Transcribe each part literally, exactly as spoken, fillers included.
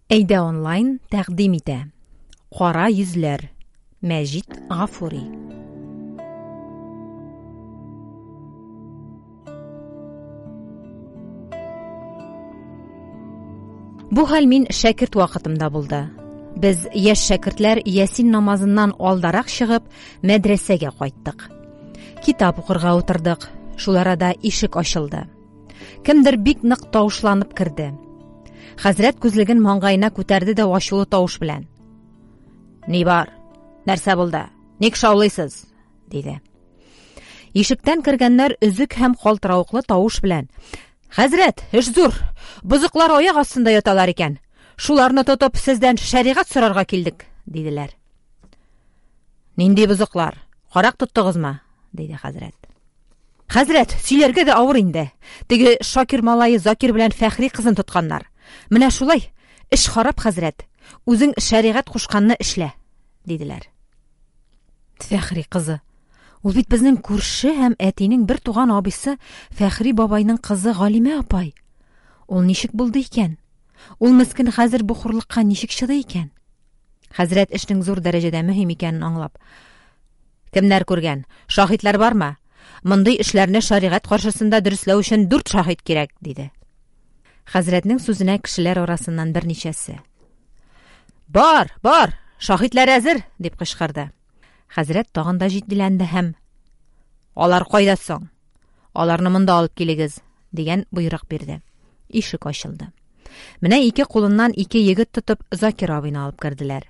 Әйдә онлайн тәкъдим итә. Кара йөзләр. Мәҗит Гафури. Бу хәл мин шәкерт вакытымда булды. Без яшь шәкертләр Ясин намазыннан алдарак чыгып, мәдрәсәгә кайттык. Китап укырга утырдык. Шул арада ишек ачылды. Кемдер бик нык тавышланып керде. Хәзрәт күзлеген маңгаена күтәрде дә ачулы тавыш белән: "Ни бар? Нәрсә булды? Ник шаулыйсыз?" диде. Ишектән кергәннәр өзек һәм калтыравыклы тавыш белән: "Хәзрәт, эш зур. Бозыклар аяк астында яталар икән. Шуларны тотып сездән шәригать сорарга килдек", диделәр. "Нинди бозыклар? Карак тоттыгызмы?" диде хәзрәт. Хәзрәт, сөйләргә дә авыр инде. Теге Шакир малае Закир белән Фәхри кызын тотканнар. Менә шулай, эш харап, хәзрәт. Үзең шәригать кушканны эшлә, диделәр. Фәхри кызы. Ул бит безнең күрше һәм әтинең бер туган абыйсы Фәхри бабайның кызы Галимә апай. Ул ничек булды икән? Ул мескен хәзер бу хурлыкка ничек чыдый икән? Хәзрәт эшнең зур дәрәҗәдә мөһим икәнен аңлап: "Кемнәр күргән? Шаһитлар бармы? Мондый эшләрне шәригать каршысында дөресләү өчен дүрт шаһит кирәк", диде. Хәзрәтнең сүзенә кешеләр арасыннан берничәсе: "Бар, бар, шаһитлар әзер", дип кычкырды. Хәзрәт тагын да җитдиләнде һәм: "Алар кайда соң? Аларны монда алып килегез", дигән боерык бирде. Ишек ачылды. Менә ике кулыннан ике егет тотып Закир абыйны алып керделәр.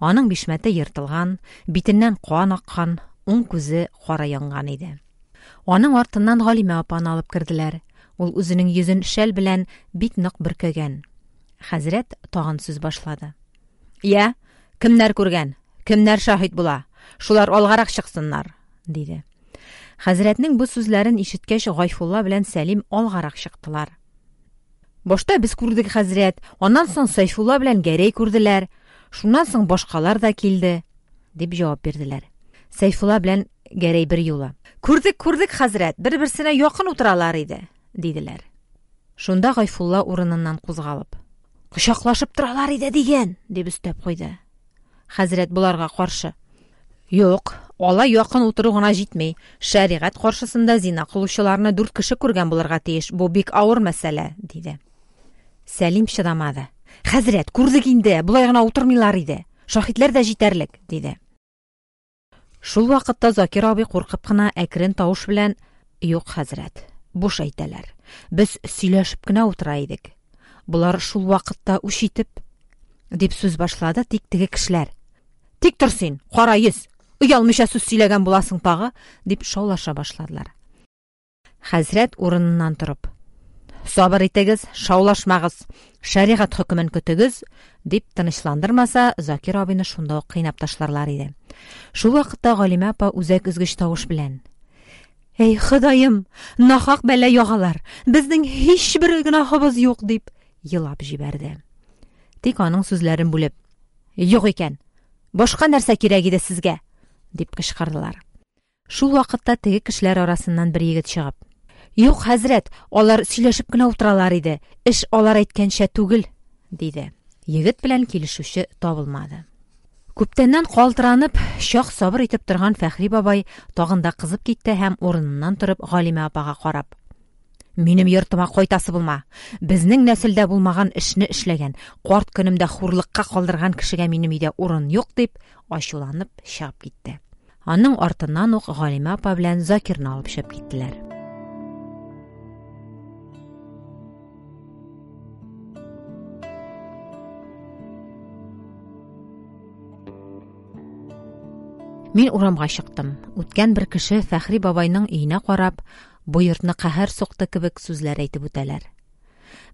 Аның бишмәте ертылган, битеннән кан аккан, уң күзе кара янган иде. Аның артыннан Галимә апаны алып керделәр. Ул үзенең йөзен шәл белән бик нык бөркәгән. Хәзрәт тагын сүз башлады. "Я, кемнәр күргән? Кемнәр шаһит була? Шулар алгарак чыксыннар", диде. Хәзрәтнең бу сүзләрен ишеткәч, Гайфулла белән Сәлим алгарак чыктылар. "Башта без күрдек, хәзрәт, аннан соң Сайфулла белән Гәрәй күрделәр, шуннан соң башкалар да килде", дип җавап бирделәр. Сайфулла белән Гәрәй бер юлы: "Күрдек, күрдек, хәзрәт, бер-берсенә якын утыралар иде", диделәр. Шунда Гайфулла урыныннан кузгалып: "Кочаклашып торалар иде дигән", дип өстәп куйды. Хәзрәт боларга каршы: "Юк, алай якын утыру гына җитми. Шәригать каршысында зина кылучыларны дүрт кеше күргән булырга тиеш. Бу бик авыр мәсьәлә", диде. Сәлим чыдамады. "Хәзрәт, күрдек инде, болай гына утырмыйлар иде. Шаһитләр дә җитәрлек", диде. Шул вакытта Закир абый куркып кына әкрен тавыш белән: "Юк, хәзрәт, буш әйтәләр. Без сөйләшеп кенә утыра идек. Болар шул вакытта үч итеп", дип сүз башлады. Тик теге кешеләр: "Тик тор син, кара йөз, оялмыйча сүз сөйләгән буласың тагы", дип шаулаша башладылар. Хәзрәт урыныннан торып: "Сабыр итегез, шаулашмагыз, шәригать хөкемен көтегез", дип тынычландырмаса, Закир абыйны шунда ук кыйнап ташларлар иде. Шул вакытта Галимә апа үзәк өзгеч тавыш белән: "Эй, Ходаем, нахак бәла ягалар, безнең һичбер гөнаһыбыз юк", дип елап җибәрде. Тик аның сүзләрен бүлеп: "Юк икән, башка нәрсә кирәк иде сезгә?" дип кычкырдылар. Шул вакытта теге кешеләр арасыннан бер егет чыгып: "Юк, хәзрәт, алар сөйләшеп кенә утыралар иде. Эш алар әйткәнчә түгел", диде. Егет белән килешүче табылмады. Күптәннән калтыранып, чак сабыр итеп торган Фәхри бабай тагын да кызып китте һәм урыныннан торып Галимә апага карап: "Минем йортыма кайтасы булма. Безнең нәселдә булмаган эшне эшләгән, карт көнемдә хурлыкка калдырган кешегә минем өйдә урын юк", дип ачуланып чыгып китте. Аның артыннан ук Галимә апа белән Закирны алып чыгып киттеләр. Мин урамга чыктым. Үткән бер кеше Фәхри бабайның өенә карап, бу йортны каһәр сукты кебек сүзләр әйтеп үтәләр.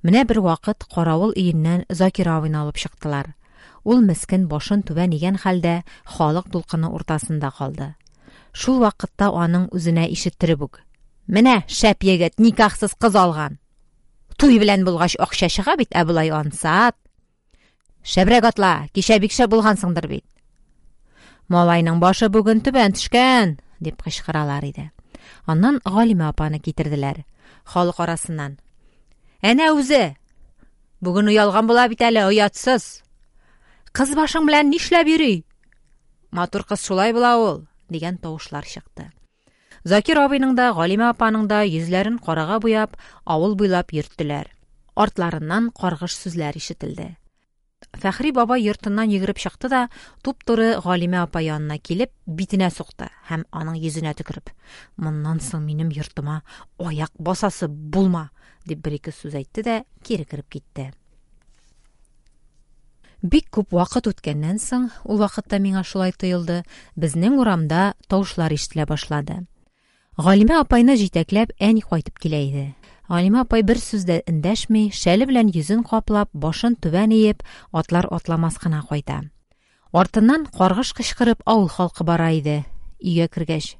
Менә бер вакыт каравыл өеннән Закир абыйны алып чыктылар. Ул мескен башын түбән игән хәлдә халык дулкыны уртасында калды. Шул вакытта аның үзенә ишеттереп үк: "Менә шәп егет никахсыз кыз алган. Туй белән булгач акча чыга бит, ә болай ансат. Шәбрәк атла, кичә бик шәп булгансыңдыр бит. Малайның башы бүген түбән төшкән", дип кычкыралар иде. Аннан Галимә апаны китерделәр. Халык арасыннан: "Әнә үзе! Бүген оялган була бит әле, оятсыз! Кыз башың белән нишләп йөри? Матур кыз шулай була ул, дигән тавышлар чыкты. Закир абыйның да, Галимә апаның да йөзләрен карага буяп, авыл буйлап йөрттеләр. Артларыннан каргыш сүзләр ишетелде. Фәхри бабай йортыннан йөгереп чыкты да, туп-туры Галимә апа янына килеп, битенә сукты һәм аның йөзенә төкереп: "Моннан соң минем йортыма аяк басасы булма!" дип бер-ике сүз әйтте дә кире кереп китте. Бик күп вакыт үткәннән соң, ул вакытта миңа шулай тоелды, безнең урамда тавышлар ишетелә башлады. Галимә апайны җитәкләп әни кайтып килә иде. Галимә апай бер сүз дә эндәшми, шәле белән йөзен каплап, башын түбән иеп, атлар атламас кына кайта. Артыннан каргыш кычкырып авыл халкы бара иде. Өйгә кергәч: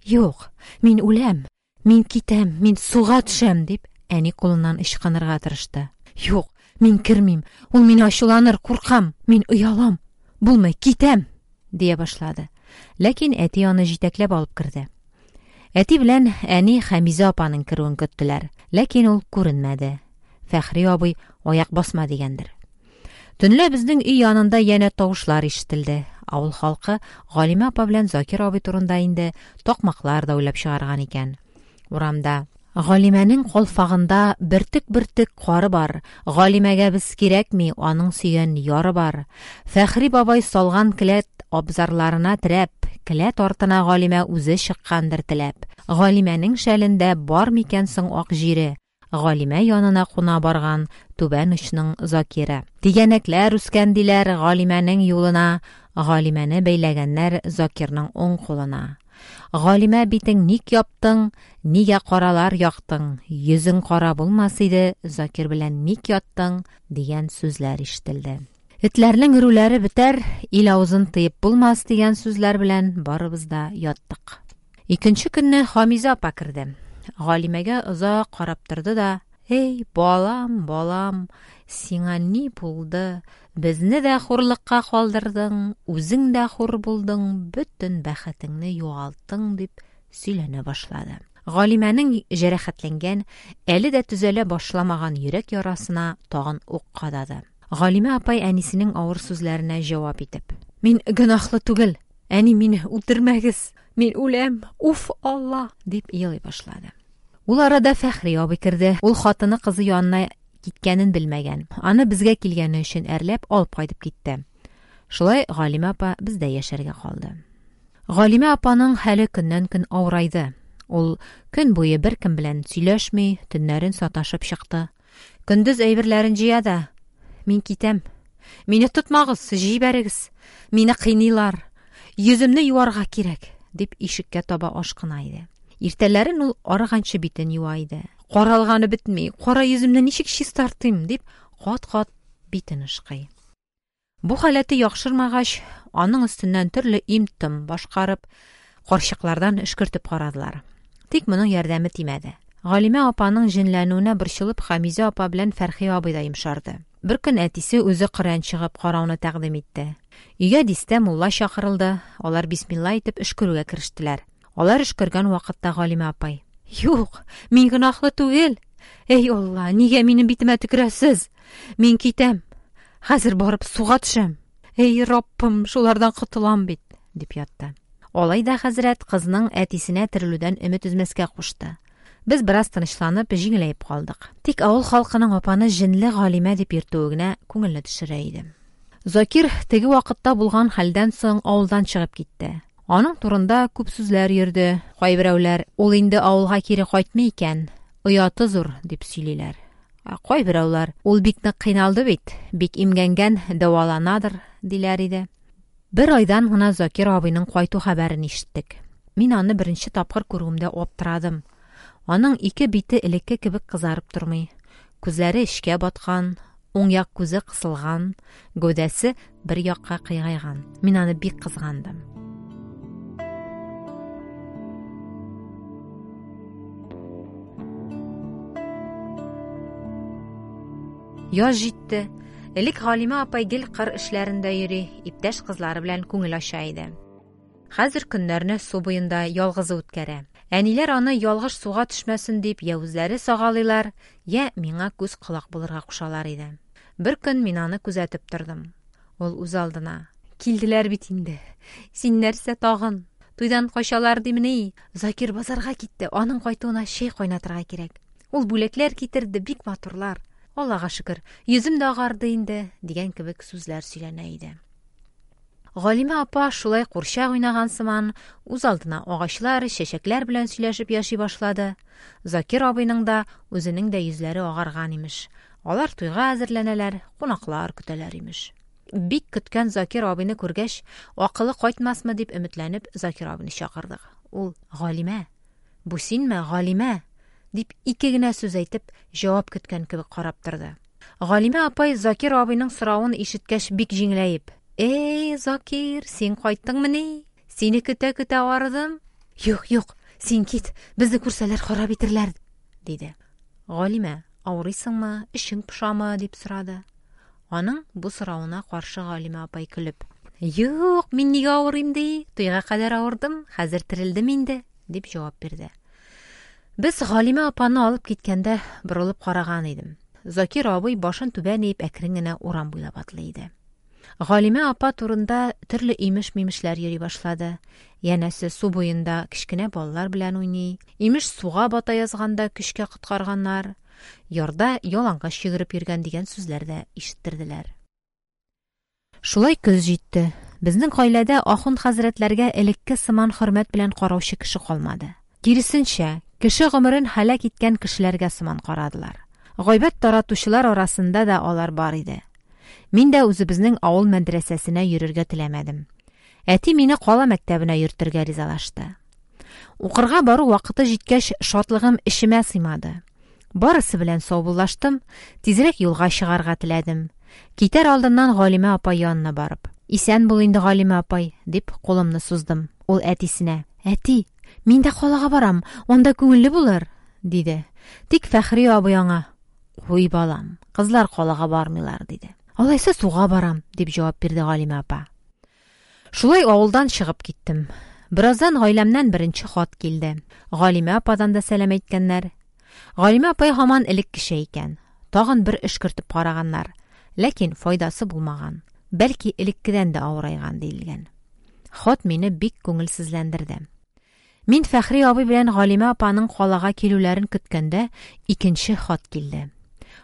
"Юк, мин үләм, мин китәм, мин суга төшәм", дип әни кулыннан ычкынырга тырышты. "Юк, мин кермим, ул мине ачуланыр, куркам, мин оялам. Булмый, китәм", дия башлады. Ләкин әти аны җитәкләп алып керде. Әти белән әни Хәмизә апаның керүен көттеләр, ләкин ул күренмәде. Фәхри абый аяк басма дигәндер. Төнлә безнең өй янында янә тавышлар ишетелде. Авыл халкы Галимә апа белән Закир абый турында инде такмаклар да уйлап чыгарган икән. Урамда: "Галимәнең калфагында бөртек-бөртек кары бар. Галимәгә без кирәкми, аның сөйгән яры бар. Фәхри бабай салган келәт абзарларына терәп, келәт артына Галимә үзе чыккандыр теләп. Галимәнең шәлендә бар микән соң ак җире? Галимә янына куна барган түбән очның Закиры. Тигәнәкләр үскән диләр Галимәнең юлына, Галимәне бәйләгәннәр Закирның уң кулына. Галимә, битең ник яптың, нигә каралар яктың? Йөзең кара булмас иде, Закир белән ник яттың?" дигән сүзләр ишетелде. Этләрнең өрүләре бетәр, ил авызын тыеп булмас дигән сүзләр белән барыбыз да яттык. Икенче көнне Хамизә апа керде. Галимәгә озак карап торды да: "Эй, балам, балам, сиңа ни булды? Безне дә хурлыкка калдырдың, үзең дә хур булдың, бөтен бәхетеңне югалттың", дип сөйләнә башлады. Галимәнең җәрәхәтләнгән, әле дә төзәлә башламаган йөрәк ярасына тагын ук кадады. Галимә апай әнисенең авыр сүзләренә җавап итеп: "Мин гөнаһлы түгел, әни, мине үтермәгез, мин үләм, уф Алла", дип елый башлады. Ул арада Фәхри абый керде. Ул хатыны кызы янына киткәнен белмәгән. Аны безгә килгәне өчен әрләп алып кайтып китте. Шулай Галимә апа бездә яшәргә калды. Галимә апаның хәле көннән-көн авырайды. Ул көн буе беркем белән сөйләшми, төннәрен саташып чыкты. Көндез әйберләрен җыя да: "Мин китәм. Мине тотмагыз, җибәрегез. Мине кыйныйлар. Йөземне юарга кирәк", дип ишеккә таба ашкына иде. Иртәләрен ул арыганчы битен юа иде. "Каралганы бетми, кара йөземне ничек чистартыйм?" дип кат-кат битен ышкый. Бу халәте яхшырмагач, аның өстеннән төрле им-том башкарып, карчыклардан өшкертеп карадылар. Тик моның ярдәме тимәде. Галимә апаның җенләнүенә борчылып, Хамизә апа белән Фәрхи абый да йомшарды. Бер көн әтисе үзе Коръән чыгып карауны тәкъдим итте. Өйгә дистә мулла чакырылды. Алар бисмилла итеп өшкерүгә керештеләр. Алар өшкергән вакытта Галимә апай: "Юк, мин гөнаһлы түгел. Эй Алла, нигә минем битемә төкерәсез? Мин китәм. Хәзер барып суга төшәм. Эй Раббым, шулардан котылам бит", дип ятты. Алай да хәзрәт кызның әтисенә терелүдән өмет өзмәскә кушты. Без бераз тынычланып, җиңеләеп калдык. Тик авыл халкының апаны җенле Галимә дип йөртүе генә күңелне төшерә иде. Закир теге вакытта булган хәлдән соң авылдан чыгып китте. Аның турында күп сүзләр йөрде. Кайберәүләр: "Ул инде авылга кире кайтмый икән, ояты зур", дип сөйлиләр. Ә кайберәүләр: "Ул бик нык кыйналды бит, бик имгәнгән, дәваланадыр", диләр иде. Бер айдан гына Закир абыйның кайту хәбәрен ишеттек. Мин аны беренче тапкыр күрүемдә аптырадым. Аның ике бите элекке кебек кызарып тормый. Күзләре эчкә баткан, уң як күзе кысылган, гәүдәсе бер якка кыйгайган. Мин аны бик кызгандым. Яз җитте. Элек Галимә апай гел кыр эшләрендә йөри, иптәш кызлары белән күңел ача иде. Хәзер көннәрне су буенда ялгызы үткәрә. Әниләр аны ялгыш суга төшмәсен дип я үзләре сагалыйлар, я миңа күз колак булырга кушалар иде. Бер көн мин аны күзәтеп тордым. Ул үз алдына: "Килделәр бит инде. Син нәрсә тагын? Туйдан качалар димени? Закир базарга китте, аның кайтуына чәй кайнатырга кирәк. Ул бүләкләр китерде, бик матурлар. Аллага шөкер, йөзем дә агарды инде", дигән кебек сүзләр сөйләнә иде. Галимә апа шулай курчак уйнаган сыман, үз алдына агачлар, чәчәкләр белән сөйләшеп яши башлады. Закир абыйның да, үзенең дә йөзләре агарган имеш. Алар туйга әзерләнәләр, кунаклар көтәләр имеш. Бик көткән Закир абыйны күргәч, акылы кайтмасмы дип өметләнеп, Закир абыйны чакырдык. Ул: "Галимә, бу синме, Галимә?" дип ике генә сүз әйтеп, җавап көткән кебек карап торды. Галимә апай Закир абыйның соравын ишеткәч бик җиңеләеп: "Эй, Закир, син кайттыңмыни? Сине көтә-көтә арыдым. Юк, юк, син кит, безне күрсәләр харап итерләр", диде. "Галимә, авырыйсыңмы, эчең пошамы?" дип сорады. Аның бу соравына каршы Галимә апай көлеп: "Юк, мин нигә авырыйм ди? Туйга кадәр авырдым, хәзер терелдем инде", дип җавап бирде. Без Галимә апаны алып киткәндә борылып караган идем. Закир абый башын түбән иеп әкрен генә урам буйлап атлый иде. Галимә апа турында төрле имеш-мимешләр йөри башлады. Янәсе су буенда кечкенә балалар белән уйный, имеш суга бата язганда көчкә коткарганнар, ярда ялангач йөгереп йөргән дигән сүзләр дә ишеттерделәр. Шулай көз җитте. Безнең гаиләдә ахун хәзрәтләргә элекке сыман хөрмәт белән караучы кеше калмады. Киресенчә, кеше гомерен һәлак иткән кешеләргә сыман карадылар. Гайбәт таратучылар арасында да алар бар иде. Мин дә үзебезнең авыл мәдрәсәсенә йөрергә теләмәдем. Әти мине кала мәктәбенә йөртергә ризалашты. Укырга бару вакыты җиткәч, шатлыгым эчемә сыймады. Барысы белән саубуллаштым, тизрәк юлга чыгарга теләдем. Китәр алдыннан Галимә апай янына барып: "Исән бул инде, Галимә апай", дип кулымны суздым. Ул әтисенә: "Әти, мин дә калага барам, анда күңелле булыр", диде. Тик Фәхри абый аңа: "Куй, балам, кызлар калага бармыйлар", диде. "Алайса суга барам", дип җавап бирде Галимә апа. Шулай авылдан чыгып киттем. Бераздан гаиләмнән беренче хат килде. Галимә ападан да сәлам әйткәннәр. Галимә апай һаман элеккечә икән. Тагын бер өшкертеп караганнар, ләкин файдасы булмаган. Бәлки элеккедән дә авырайган диелгән. Хат мине бик күңелсезләндерде. Мин Фәхри абый белән Галимә апаның калага килүләрен көткәндә икенче хат килде.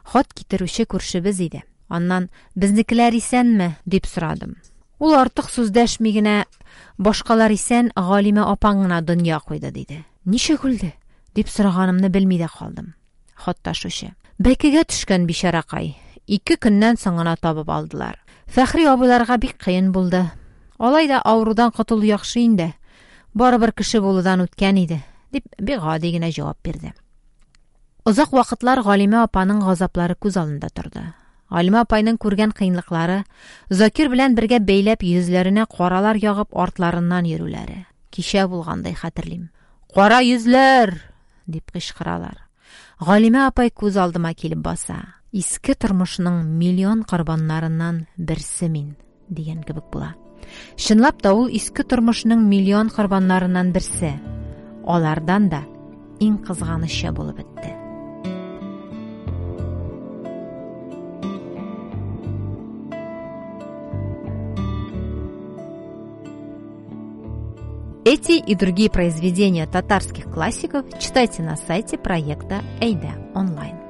Хат китерүче күршебез иде. Аннан: "Безнекеләр исәнме?" дип сорадым. Ул артык сүз дәшми генә: "Башкалар исән, Галимә апаң гына дөнья куйды", диде. "Ничек үлде?" дип сораганымны белми дә калдым. Хат ташучы: "Бәкегә төшкән бичаракай. Ике көннән соң гына табып алдылар. Фәхри абыйларга бик кыен булды. Алай да авырудан котылу яхшы инде. Барыбер кеше булудан үткән иде", дип бик гади генә җавап бирде. Озак вакытлар Галимә апаның газаплары күз алдында торды. Галимә апайның күргән кыенлыклары, Закир белән бергә бәйләп йөзләренә каралар ягып артларыннан йөрүләре. Кичә булгандай хәтерлим. "Кара йөзләр!" дип кычкыралар. Галимә апай күз алдыма килеп баса. Иске тормышның миллион корбаннарыннан берсе мин, дигән кебек була. Чынлап та ул иске тормышның миллион корбаннарыннан берсе. Алардан да иң кызганычы булып бетте. Эти и другие произведения татарских классиков читайте на сайте проекта Әйдә онлайн.